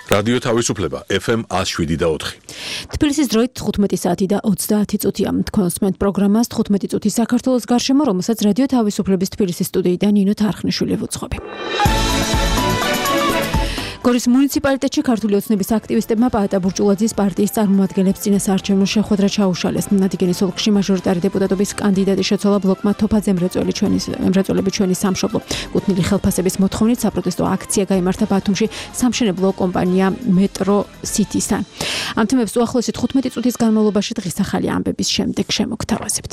რადიო თავისუფლება FM 107.4. თბილისის დროით 15 საათი და 30 წუთია. თქვენსმენთ პროგრამას 15 წუთი საქართველოს გარშემო, რომელსაც რადიო თავისუფლების თბილისის სტუდიიდან ნინო თარხნიშვილი ვუძღვები. გორის მუნიციპალიტეტში ქართული ოცნების აქტივისტებმა პაატა ბურჭულაძის პარტიის წარმომადგენლებს წინასაარჩევნო შეხვედრა ჩაუშალეს. ნადიგენის ოლქში მაჟორიტარი დეპუტატობის კანდიდატი შეცვალა ბლოკმა თოფაძე მრეწველები ჩვენი სამშობლო. კუთვნილი ხელფასების მოთხოვნით საპროტესტო აქცია გაიმართა ბათუმში სამშენებლო კომპანია მეტრო სიტისთან. ამ თემებს უახლოესი 15 წუთის განმავლობაში დღის ახალი ამბების შემდეგ შემოგთავაზებთ.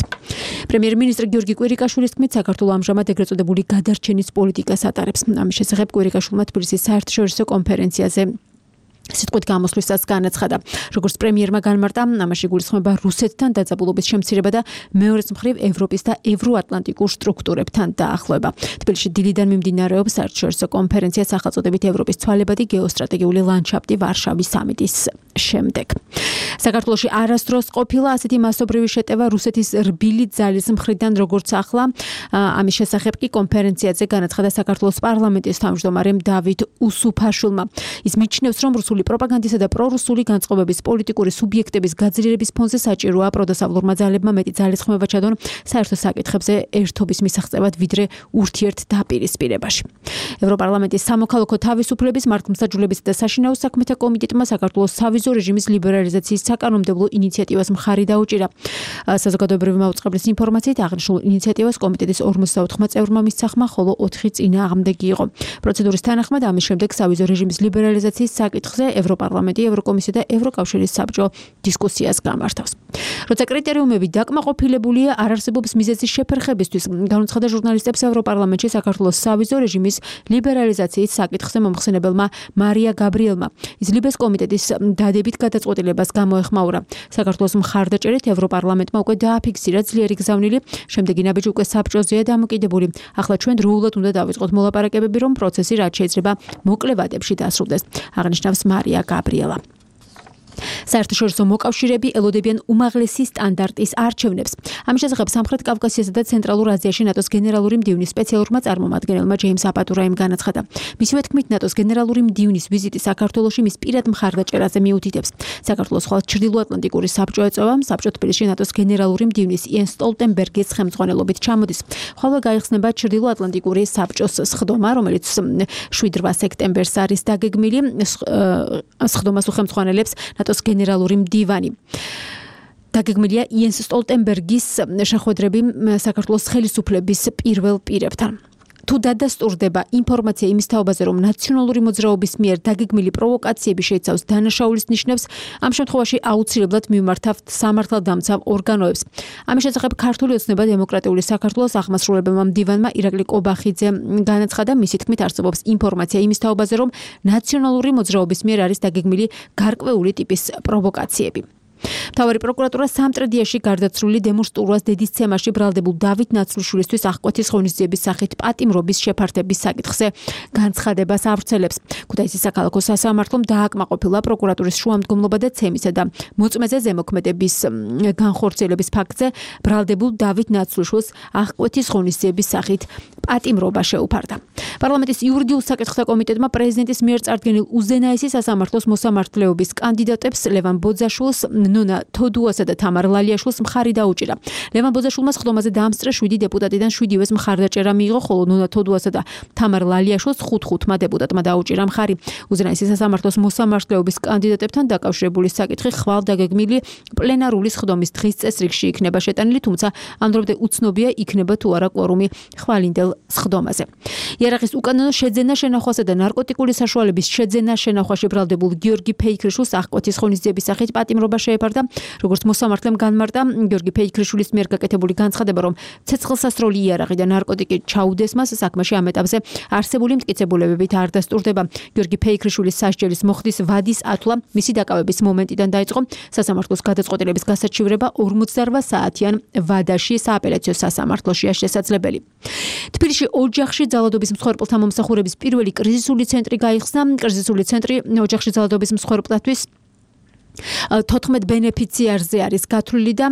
პრემიერ-მინისტრი გიორგი კვირიკაშვილის თქმით, საქართველო ამჟამად ეგრეთ წოდებული გადარჩენის პოლიტიკას ატარებს. ამის შესახებ კვირიკაშვილმა თბილისის საერთაშორისო კონფერენციაზე სიტყვით გამოსვლისას განაცხადა. როგორც პრემიერმა განმარტა, ამაში გულისხმობა რუსეთთან დაძაბულობის შემცირება და მეორეც მხრივ ევროპის და ევროატლანტიკურ სტრუქტურებთან დაახლოება. თბილისში დილიდან მიმდინარეობს საერთაშორისო კონფერენცია სახელწოდებით ევროპის ცვალებადი გეოსტრატეგიული ლანდშაფტი ვარშავის სამიტის შემდეგ. საქართველოში არასდროს ყოფილა ასეთი მასობრივი შეტევა რუსეთის რბილი ძალის მხრიდან, როგორც ახლა. ამის შესახებ კი კონფერენციაზე განაცხადა საქართველოს პარლამენტის თავმჯდომარემ დავით უსუფაშვილმა. ის მიჩნევს, რომ რუსული პროპაგანდისა და პრორუსული განწყობების პოლიტიკური სუბიექტების გაძლიერების ფონზე საჭიროა პროდასავლურმა ძალებმა მეტი ძალისხმევა ჩადონ საერთო საკითხებზე ერთობის მისაღწევად, ვიდრე ურთიერთ დაპირისპირებაში. ევროპარლამენტის სამოქალაქო თავისუფლების, მართლმსაჯულებისა და საშინაო საქმეთა კომიტეტმა საქართველოს სავიზო რეჟიმის ლიბერალიზაციის საკანონმდებლო ინიციატივას მხარი დაუჭირა. საზოგადოებრივი მაუწყებლის ინფორმაციით, აღნიშნულ ინიციატივას კომიტეტის 54 წევრმა მისცახმა, ხოლო 4 წინააღმდეგი იყო. პროცედურის თანახმად ამის შემდეგ სავიზო რეჟიმის ლიბერალიზაციის საკითხზე ევროპარლამენტი, ევროკომისია და ევროკავშირის საბჭო დისკუსიას გამართავს. როცა კრიტერიუმები დაკმაყოფილებულია, არ არსებობს მიზეზი შეფერხებისთვის, განუცხადა ჟურნალისტებს ევროპარლამენტში საქართველოს სავიზო რეჟიმის ლიბერალიზაციის საკითხზე მომხსენებელმა მარია გაბრიელმა. ის ლიბეს კომიტეტის დადებით გადაწყვეტილებას გამოეხმაურა. საქართველოს მხარდაჭერით ევროპარლამენტმა უკვე დააფიქსირა ძლიერი გზავნილი, შემდეგი ნაბიჯი უკვე საბჭოზეა დამოკიდებული. ახლა ჩვენ დროულად უნდა დავიწყოთ მოლაპარაკებები, რომ პროცესი რაც შეიძლება მოკლე ვადებში დასრულდეს. აღნიშნავს მარია გაბრიელა. საერთაშორისო მოკავშირეები ელოდებიან უმაღლესი სტანდარტის არჩევნებს. ამის შესახებ სამხრეთ კავკასიასა და ცენტრალურ აზიაში ნატოს გენერალური მდივნის სპეციალურმა წარმომადგენელმა ჯეიმს აპატურაიმ განაცხადა. მისივე თქმით, ნატოს გენერალური მდივნის ვიზიტი საქართველოში მის პირად მხარდაჭერაზე მიუთითებს. საქართველოს ხვალ ჩრდილოატლანტიკური საბჭო ეწევა, საბჭო თბილისში ნატოს გენერალური მდივნის იენს სტოლტენბერგის ხელმძღვანელობით ჩამოდის. ხვალვე გაიხსნება ჩრდილოატლანტიკური საბჭოს სხდომა, რომელიც 7-8 სექტემბერს არის დაგეგმილი. სხდომას უხელმძღვანელებს ნატოს გენერალური მდივანი. დაგეგმილია იენს სტოლტენბერგის შეხვედრები საქართველოს ხელისუფლების პირველ პირებთან. თუ დადასტურდება ინფორმაცია იმის თაობაზე, რომ ნაციონალური მოძრაობის მიერ დაგეგმილი პროვოკაციები შეიცავს დანაშაულის ნიშნებს, ამ შემთხვევაში აუცილებლად მივმართავთ სამართალდამცავ ორგანოებს. ამის შესახებ ქართული ოცნება დემოკრატიული საქართველოს აღმასრულებელმა მდივანმა ირაკლი კობახიძე განაცხადა, მისი თქმით არსებობს ინფორმაცია იმის თაობაზე, რომ ნაციონალური მოძრაობის მიერ არის დაგეგმილი გარკვეული ტიპის პროვოკაციები. მთავარი პროკურატურა სამტრედიაში გარდაცვლილი დემონსტრუას დედისცემაში ბრალდებულ დავით ნაცვლიშვილისთვის აღკვეთის ღონისძიების სახით პატიმრობის შეფართების საკითხზე განცხადებას ავრცელებს. ქუთაისის საქალაქო სასამართლომ დააკმაყოფილა პროკურატურის შუამდგომლობა და ცემისა და მოწმეზე ზემოქმედების განხორციელების ფაქტზე ბრალდებულ დავით ნაცვლიშვილს აღკვეთის ღონისძიების სახით პატიმრობა შეუფარდა. პარლამენტის იურიდიულ საკითხთა კომიტეტმა პრეზიდენტის მიერ წარდგენილ უზენაესი სასამართლოს მოსამართლეობის კანდიდატებს ლევან ბოძაშვილს, ნონა თოდუასა და თამარ ლალიაშვილს მხარი დაუჭირა. ლევან ბოძაშვილმა სხდომაზე დაამსწრა 7 დეპუტატიდან 7-ს მხარდაჭერა მიიღო, ხოლო ნონა თოდუასა და თამარ ლალიაშვილს 5-5 დეპუტატმა დაუჭირა მხარი. უზენაესი სასამართლოს მოსამართლეობის კანდიდატებთან დაკავშირებული საკითხი ხვალ დაგეგმილი პლენარული სხდომის დღის წესრიგში იქნება შეტანილი, თუმცა ამ დრომდე უცნობია იქნება თუ არა კვორუმი ხვალინდელ სხდომაზე. იარაღის უკანონო შეძენა შენახვასა და ნარკოტიკული საშუალების შეძენა შენახვაში ბრალდებულ გიორგი ფეიქრიშვილს აღკვეთის ღონისძიების სახით პატიმრობა შეეფარდა. როგორც მოსამართლემ განმარტა, გიორგი ფეიქრიშვილის მიერ გაკეთებული განცხადება, რომ ცეცხლსასროლი იარაღი და ნარკოტიკი ჩაუდეს მას, საქმეში ამ ეტაპზე არსებული მტკიცებულებებით არ დასტურდება. გიორგი ფეიქრიშვილის სასჯელის მოხდის ვადის ათვლა მისი დაკავების მომენტიდან დაიწყო. სასამართლოს გადაწყვეტილების გასაჩივრება 48 საათიან ვადაში სააპელაციო სასამართლოშია შესაძლებელი. თბილისში ოჯახში ძალადობის მსხვერპლთა მომსახურების პირველი კრიზისული ცენტრი გაიხსნა. კრიზისული ცენტრი ოჯახში ძალადობის მსხვერპლთათვის 14 ბენეფიციარზე არის გათვლილი და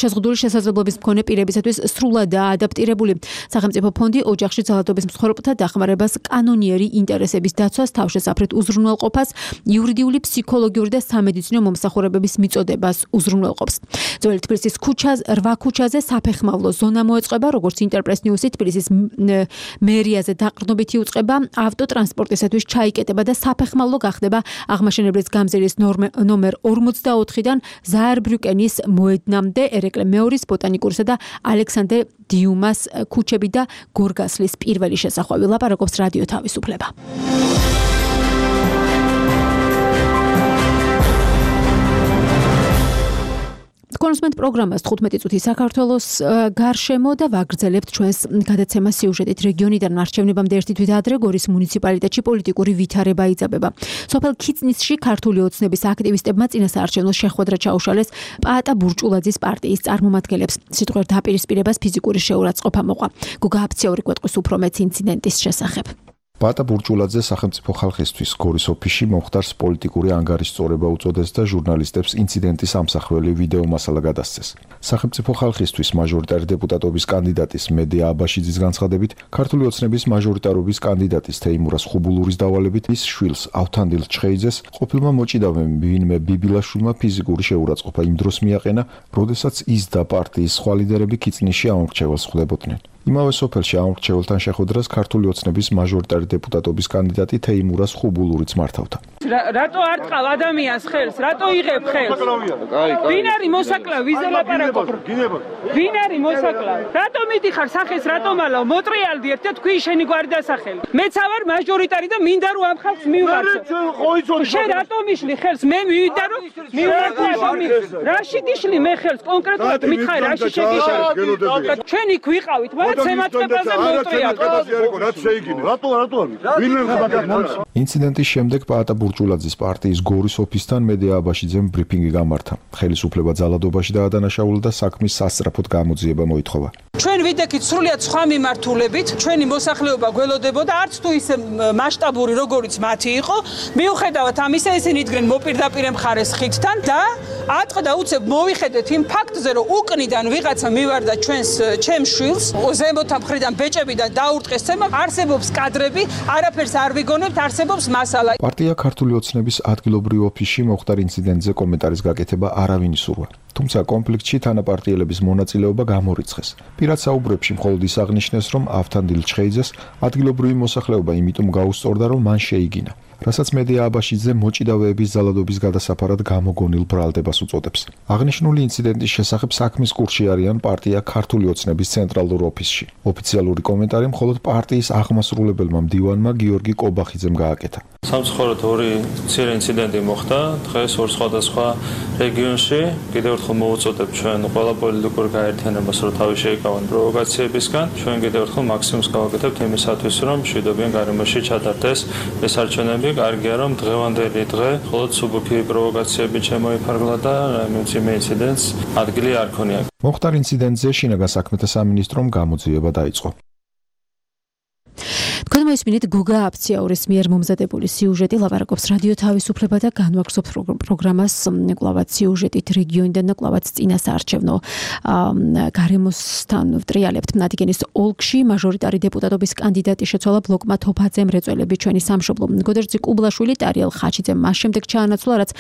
შეზღუდული შესაძლებლობის მქონე პირებისათვის სრულად ადაპტირებული სახელმწიფო ფონდი ოჯახში ძალადობის მსხვერპლთა დახმარებას, კანონიერი ინტერესების დაცვას, თავშესაფრით უზრუნველყოფას, იურიდიული, ფსიქოლოგიური და სამედიცინო მომსახურებების მიწოდებას უზრუნველყოფს. ძველი თბილისის 8 ქუჩაზე საფეხმავლო ზონა მოეწყება, როგორც ინტერპრეს ნიუსი თბილისის მერიაზე დაყრდნობითი უწყება, ავტოტრანსპორტისათვის ჩაიკეტება და საფეხმავლო გახდება აღმაშენებლის გამზირის ნომერ 44-დან ზაერბრუკენის მოედნამდე, ერეკლე მეორის, ბოტანიკურისა და ალექსანდრე დიუმას ქუჩები და გორგასლის პირველი შესახვევი. ლაპარაკობს რადიო თავისუფლება. კონსუმენტ პროგრამას 15 წუთი საქართველოს გარშემო და ვაგრძელებთ ჩვენს გადაცემას სიუჟეტით. რეგიონიდან არჩევნებამდე ერთი თვით ადრე გორის მუნიციპალიტეტში პოლიტიკური ვითარება იძაბება. სოფელ ქიცნისში ქართული ოცნების აქტივისტებმა წინასაარჩევნო შეხვედრა ჩაუშალეს პაატა ბურჭულაძის პარტიის წარმომადგენლებს. სიტყვიერ დაპირისპირებას ფიზიკური შეურაცხყოფა მოყვა. გუგა აფციური გვეტყვის უფრო მეც ინციდენტის შესახებ. პაატა ბურჭულაძე სახელმწიფო ხალხისთვის გორის ოფისში მომხდარს პოლიტიკური ანგარის წორება უწოდეს და ჟურნალისტებს ინციდენტის ამსახველი ვიდეო მასალა გადასცეს. სახელმწიფო ხალხისთვის მაჟორიტარი დეპუტატობის კანდიდატის მედია აბაშიძის განცხადებით, ქართული ოცნების მაჟორიტარობის კანდიდატის თეიმურას ხუბულურის დავალებით ის შვილს ავთანდილ ჩხეიძეს ყოფილმა მოჭიდავემ ვინმე ბიბილაშვილმა ფიზიკური შეურაცხყოფა იმ დროს მიაყენა, როდესაც ის და პარტიის სხვა ლიდერები ქიცნისში ამორჩეველს ხვდებოდნენ. იმავე სოფელში ამორჩეველთან შეხვედრას ქართული ოცნების მაჟორიტარი დეპუტატობის კანდიდატი თეიმურას ხუბულურიც მართავდა. რატო არ ტყავ ადამიანს ხელს? რატო იღებ ხელს? ვინ არის მოსაკლავ? ვიზე ლაპარაკობ? ვინ არის მოსაკლავ? რატო მიდიხარ სახეს? რატო მალავ? მოტრიალდი ერთ თქვი შენი გვარი დასახელი. მეც ავარ მაჟორიტარი და მინდა რომ ამ ხალხს მივმარცხო. შენ რატო მიშლი ხელს? მე მივიდა რომ მივმარცხო ადამიანს. რაში გიშლი მე ხელს? კონკრეტულად მითხარი რაში შეგიშალე? ჩვენ იქ ვიყავით, ცემატყებაზე მოტრიალდი. ინციდენტის შემდეგ პაატა ბურჭულაძის პარტიის გორის ოფისთან მედია აბაშიძემ ბრიფინგი გამართა. ხელისუფლება ძალადობაში დაადანაშაულა და საქმის სასწრაფოდ გამოძიება მოითხოვა. ჩვენ ვიდექით სრულიად სხვა მიმართულებით, ჩვენი მოსახლეობა გველოდებოდა არც თუ ისე მასშტაბური როგორიც მათი იყო, მიუხედავად ამისა ისინი იდგნენ მოპირდაპირე მხარეს ხიდთან და ატყდა უცებ მოვიხედეთ იმ ფაქტზე, რომ უკნიდან ვიღაცა მივარდა ჩემს შვილს, ზემოთა მხრიდან ბეჭებიდან დაურტყეს ცემა, არსებობს კადრები, არაფერს არ ვიგონებთ, არსებობს მასალა. პარტია ქართული ოცნების ადგილობრივ ოფისში მომხდარ ინციდენტზე კომენტარის გაკეთება არავინ ისურვა. თუმცა კონფლიქტში თანაპარტიელების მონაწილეობა გამორიცხეს. პირად საუბრებში მხოლოდ ის აღნიშნეს, რომ ავთანდილ ჩხეიძეს ადგილობრივი მოსახლეობა იმიტომ გაუსწორდა, რომ მან შეიგინა. რასაც მედია აბაშიძე მოჭიდავეების ძალადობის გადასაფარად გამოგონილ ბრალდებას უწოდებს. აღნიშნული ინციდენტის შესახებ საქმის კურსში არიან პარტია ქართული ოცნების ცენტრალურ ოფისში. ოფიციალური კომენტარი მხოლოდ პარტიის აღმასრულებელმა მდივანმა გიორგი კობახიძემ გააკეთა. სამწუხაროდ ორი მცირე ინციდენტი მოხდა დღეს ორ სხვადასხვა რეგიონში. კიდევ ერთხელ მოვუწოდებ ჩვენ ყველა პოლიტიკურ გაერთიანებას, რომ თავი შეიკავონ პროვოკაციებისგან. ჩვენ კიდევ ერთხელ მაქსიმუმს გავაკეთებთ იმისათვის, რომ მშვიდობიან გარემოში ჩატარდეს ეს არჩევნები. კარგია რომ დღევანდელი დღე მხოლოდ სუბუქი პროვოკაციები შემოიფარგლა და მძიმე ინციდენტს ადგილი არ ქონია. მომხდარ ინციდენტზე შინაგან საქმეთა სამინისტრომ გამოძიება დაიწყო. თქვენ მოისმინეთ გუგა აფციაურის მიერ მომზადებული სიუჟეტი. ლაპარაკობს რადიო თავისუფლება და განვაგრძობს პროგრამას კლავაც სიუჟეტით რეგიონიდან და კლავაც წინასაარჩევნო გარემოსთან ვტრიალებთ. მადიგენის ოლქში მაჟორიტარი დეპუტატობის კანდიდატი შეცვალა ბლოკმა თოფაძემ რეწველები ჩვენი სამშობლო გოდერძი კუბლაშვილი ტარიელ ხაჩიძემ მას შემდეგ ჩაანაცვლა, რაც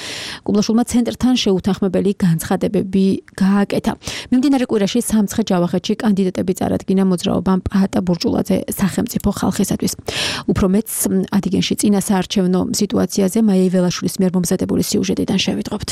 კუბლაშვილმა ცენტრთან შეუთანხმებელი განცხადებები გააკეთა. მიმდინარე კვირაში სამცხე-ჯავახეთში კანდიდატები წარადგინა მოძრაობამ პაატა ბურჭულაძე სახელმწიფო ხალხისათვის. უფრო მეც ადიგენში წინასაარჩევნო სიტუაციაზე მაია ველაშვილის მიერ მომზადებული სიუჟეტიდან შევიტყობთ.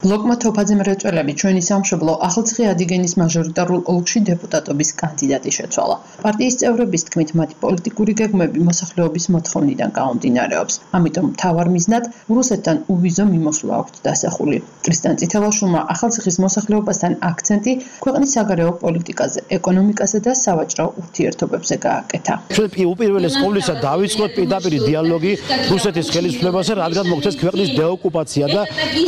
ბლოკმა თოფაძემ რეწველები ჩვენი სამშობლო ახალციხე ადიგენის მაჟორიტარულ ოლქში დეპუტატობის კანდიდატი შეცვალა. პარტიის წევრების თქმით, მათი პოლიტიკური გეგმები მოსახლეობის მოთხოვნიდან გამომდინარეობს. ამიტომ მთავარ მიზნად რუსეთთან უვიზო მიმოსვლა აქვთ დასახული. კრისტიან წითელაშვილმა ახალციხის მოსახლეობასთან აქცენტი ქვეყნის საგარეო პოლიტიკაზე, ეკონომიკაზე და სავაჭრო ურთიერთობებზე გააკეთა. ჩვენ უპირველეს ყოვლისა დავიწყოთ პირდაპირ დიალოგი რუსეთის ხელისუფლებასთან, რადგან მოხდეს ქვეყნის დეოკუპაცია და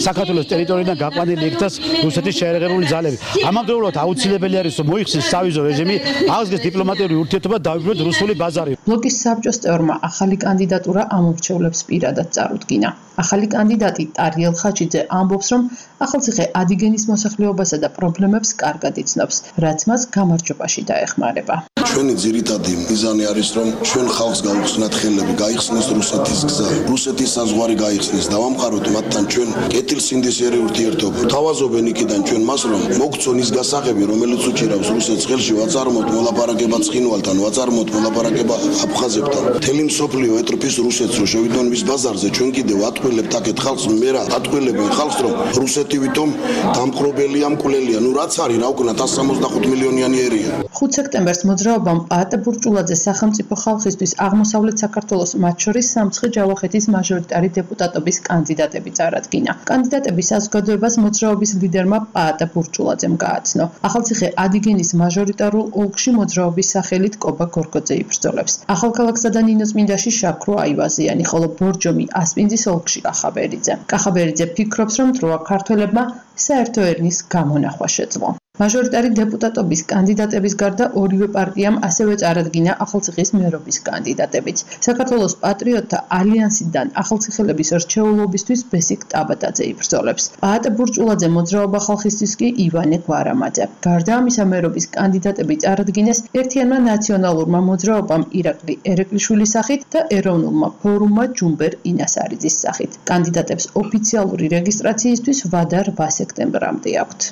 საქართველოს ტერიტორიიდან გაყვანილი იქნას რუსეთის შეერაღებული ძალები. ამავდროულად აუცილებელი არის რომ მოიხსნას სავიზო რეჟიმი, აღსდგეს დიპლომატიური ურთიერთობა და დაუბრუნდეს რუსული ბაზარი. ბლოკის საბჭოს წევრმა ახალი კანდიდატურა ამორჩევლებს პირადად წარუდგინა. ახალი კანდიდატი ტარიელ ხაჩიძე ამბობს, რომ ახალციხე ადიგენის მოსახლეობასა და პრობლემებს კარგად იცნობს, რაც მას გამარჯვებაში დაეხმარება. ჩვენი ძირითადი მიზანი არის, რომ ჩვენ ხალხს გავუხსნათ ხელები, გაიხსნას რუსეთის გზა, რუსეთის საზღვარი გაიხსნეს, დავამყაროთ მათთან ჩვენ კეთილსინდისიერი ურთიერთობა. თავაზობენ იქიდან ჩვენ მას, რომ მოგცონ ის გასაღები, რომელიც უჭირავს რუსეთს ხელში, ვაწარმოთ მოლაპარაკება ცხინვალთან, ვაწარმოთ მოლაპარაკება აფხაზებთან. მთელი მსოფლიო ეტრფის რუსეთს, რომ შევიდონ მის ბაზარზე, ჩვენ კიდევ ატყვილებთ აქეთ ხალხს, მე რა ატყვილებენ ხალხს, რომ რუსეთი ვითომ დამპყრობელია, მკვლელია. ნუ რაც არის, რა ვქნათ 165 მილიონიანი ერია. 5 სექტემბერს მოძრაობამ პაატა ბურჭულაძე სახელმწიფო ხალხისთვის აღმოსავლეთ საქართველოს, მათ შორის სამცხე-ჯავახეთის მაჟორიტარი დეპუტატობის კანდიდატები წარადგინა. კანდიდატების საზოგადოებას მოძრაობის ლიდერმა პაატა ბურჭულაძემ გააცნო. ახალციხე ადიგენის მაჟორიტარულ ოლქში მოძრაობის სახელით კობა გორგოძე იბრძოლებს. ახალქალაქსა და ნინოწმინდაში შაქრო აივაზიანი, ხოლო ბორჯომი ასპინძის ოლქში კახაბერიძე. კახაბერიძე ფიქრობს, რომ დროა ქართველებმა საერთო ერნის გამონახვა შეძლო. მაჟორიტარი დეპუტატობის კანდიდატების გარდა ორივე პარტიამ ასევე წარადგინა ახალციხის მერობის კანდიდატებიც. საქართველოს პატრიოტთა ალიანსიდან ახალციხელების რჩეულობისთვის ბესიკ ტაბატაძე იბრძოლებს. პაატა ბურჭულაძე მოძრაობა ხალხისთვის კი ივანე გვარამაძე. გარდა ამისა მერობის კანდიდატები წარადგინეს ერთიანმა ნაციონალურმა მოძრაობამ ირაკლი ერეკლიშვილის სახით და ეროვნულმა ფორუმმა ჯუმბერ ინასარიძის სახით. კანდიდატებს ოფიციალური რეგისტრაციისთვის ვადა 8 სექტემბრამდე აქვთ.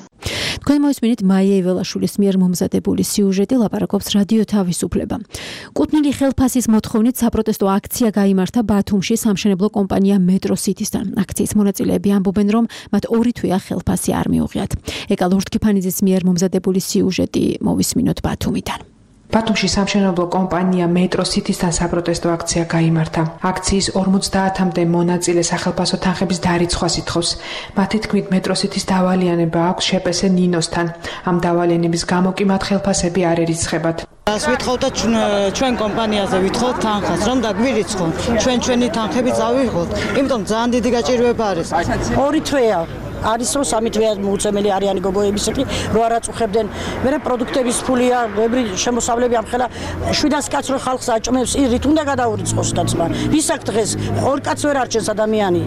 თქვენ მოისმინეთ მაია იველაშვილის მიერ მომზადებული სიუჟეტი, ლაპარაკობს რადიო თავისუფლება. კუთვნილი ხელფასის მოთხოვნით საპროტესტო აქცია გაიმართა ბათუმში სამშენებლო კომპანია მეტრო სიტისთან. აქციის მონაწილეები ამბობენ, რომ მათ 2 თვეა ხელფასი არ მიუღიათ. ეკა ლორთქიფანიძის მიერ მომზადებული სიუჟეტი მოვისმინოთ ბათუმიდან. ბათუმში სამშენებლო კომპანია მეტრო სიტისთან საპროტესტო აქცია გაიმართა. აქციის 50-მდე მონაწილე სახელფასო თანხების დარიცხვას ითხოვს. მათი თქმით, მეტრო სიტის დავალიანება აქვს შეპესე ნინოსთან. ამ დავალიანების გამო კი მათ ხელფასები არ ერიცხებათ. ვითხოვთ და ჩვენ კომპანიაზე ვითხოვთ თანხას, რომ დაგვირიცხონ. ჩვენი თანხები წავიღოთ. იმიტომ ძალიან დიდი გაჭირვება არის. 2 თვეა. არის რომ 3 თვეა მოუწემელი არიანი გოგოებისაკი, რო არ აწუხებდნენ. მერე პროდუქტების ფულია, ბევრი შემოსავლები ამხელა 700 კაცს რო ხალხს აჭმევს, რით უნდა გადაურიცხოს კაცმა. ვისაკ დღეს 2 კაცს ვერ არჩენს ადამიანი.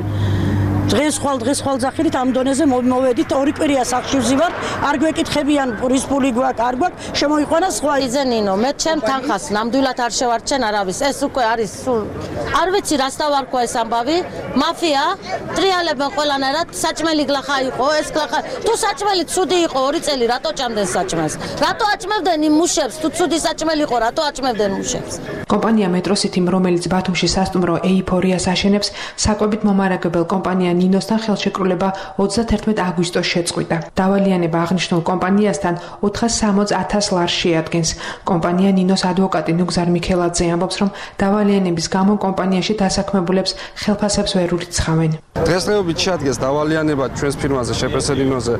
დღეს ხვალ ზახირით ამ დონეზე მოვედით 2 კვირია სახლში ვზივართ, არ გვეკითხებიან რის ფული გვაქვს, არ გვაქვს, შემოიყვანა სხვა იზენინო. მე ჩემ თანხას ნამდვილად არ შევარჩენ არავის. ეს უკვე არის სულ არ ვიცი რას დავარქვა ეს ამბავი. მაფია ტრიალებენ ყველანაირად, საჭმელი გლახა იყო, ეს გლახა. თუ საჭმელი ცუდი იყო 2 წელი, რატო ჭამდნენ საჭმელს? რატო აჭმევდნენ იმ მუშებს? თუ ცუდი საჭმელი იყო, რატო აჭმევდნენ მუშებს? კომპანია მეტრო სიტიმ, რომელიც ბათუმში სასტუმრო ეიფორიას აშენებს, საკვებით მომარაგებელ კომპანია ნინოსთან ხელშეკრულება 31 აგვისტოს შეწყვიტა. დავალიანება აღნიშნულ კომპანიასთან 460,000 ლარს შეადგენს. კომპანია ნინოს ადვოკატი ნუგზარ მიქელაძე ამბობს, რომ დავალიანების გამო კომპანიაში დასაქმებულებს ხელფასებს ვერ ურიცხავენ. დღესდღეობით შეადგენს დავალიანება ჩვენს ფირმაზე შეპესე ნინოზე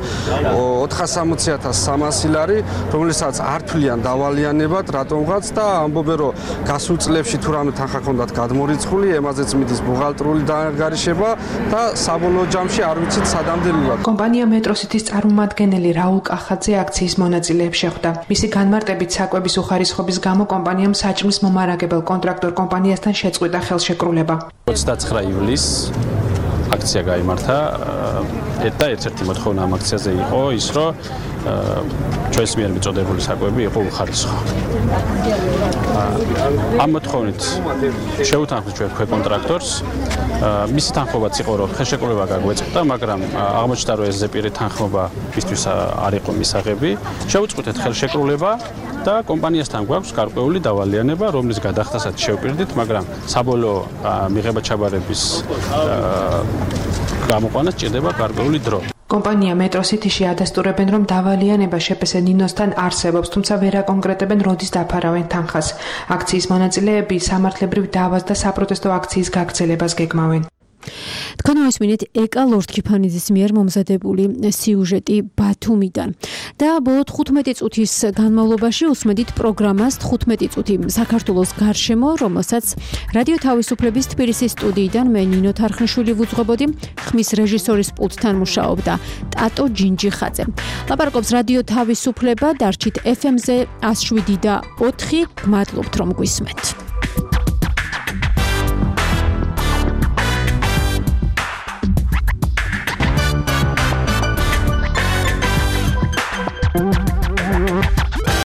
460,300 ლარი, რომელსაც არ თვლიან დავალიანებად, რატომღაც და ამბობენ, რომ გასულ წლებში თუ რამე თანხა ჰქონდათ გადმორიცხული, ემაზეც მიდის ბუღალტრული დანგარიშება და საბოლოო ჯამში არ ვიცით სადამდე მივაქვს. კომპანია მეტრო სიტის წარმომადგენელი რაულ კახაძე აქციის მონაწილეებს შეხვდა. მისი განმარტებით საკვების უხარისხობის გამო კომპანიამ საჭმლის მომარაგებელ კონტრაქტორ კომპანიასთან შეწყვიტა ხელშეკრულება. 29 ივლისს აქცია გაიმართა და ერთ-ერთი მოთხოვნა ამ აქციაზე იყო ის, რომ ჩვენს მიერ მიწოდებული საკვები იყო უხარისხო. ამ მოთხოვნით შეუთანხმდით ჩვენ კონტრაქტორს. მისი თანხმობაც იყო, რომ ხელშეკრულება გაგვეწყდა, მაგრამ აღმოჩნდა, რომ ეს ზეპირი თანხმობა მისთვის არ იყო მისაღები. შევუწყვეტეთ ხელშეკრულება და კომპანიასთან გვაქვს გარკვეული დავალიანება, რომლის გადახდასაც შევპირდით, მაგრამ საბოლოო მიღება ჩაბარების გამოყვანა სჭირდება გარკვეული დრო. კომპანია მეტრო სიტიში ადასტურებენ, რომ დავალიანება შეპესე ნინოსთან არსებობს, თუმცა ვერ აკონკრეტებენ როდის დაფარავენ თანხას. აქციის მონაწილეები სამართლებრივ დავას და საპროტესტო აქციის გაგრძელებას გეგმავენ. თქვენ მოისმინეთ ეკა ლორთქიფანიძის მიერ მომზადებული სიუჟეტი ბათუმიდან. და ბოლო 15 წუთის განმავლობაში უსმედით პროგრამას 15 წუთი საქართველოს გარშემო, რომელსაც რადიო თავისუფლების თბილისის სტუდიიდან მე ნინო თარხნიშვილი ვუძღვებოდი, ხმის რეჟისორის პულტთან მუშაობდა ტატო ჯინჯიხაძე. ლაპარაკობს რადიო თავისუფლება, დარჩით FM-ზე 107.4. გმადლობთ რომ გვისმენთ.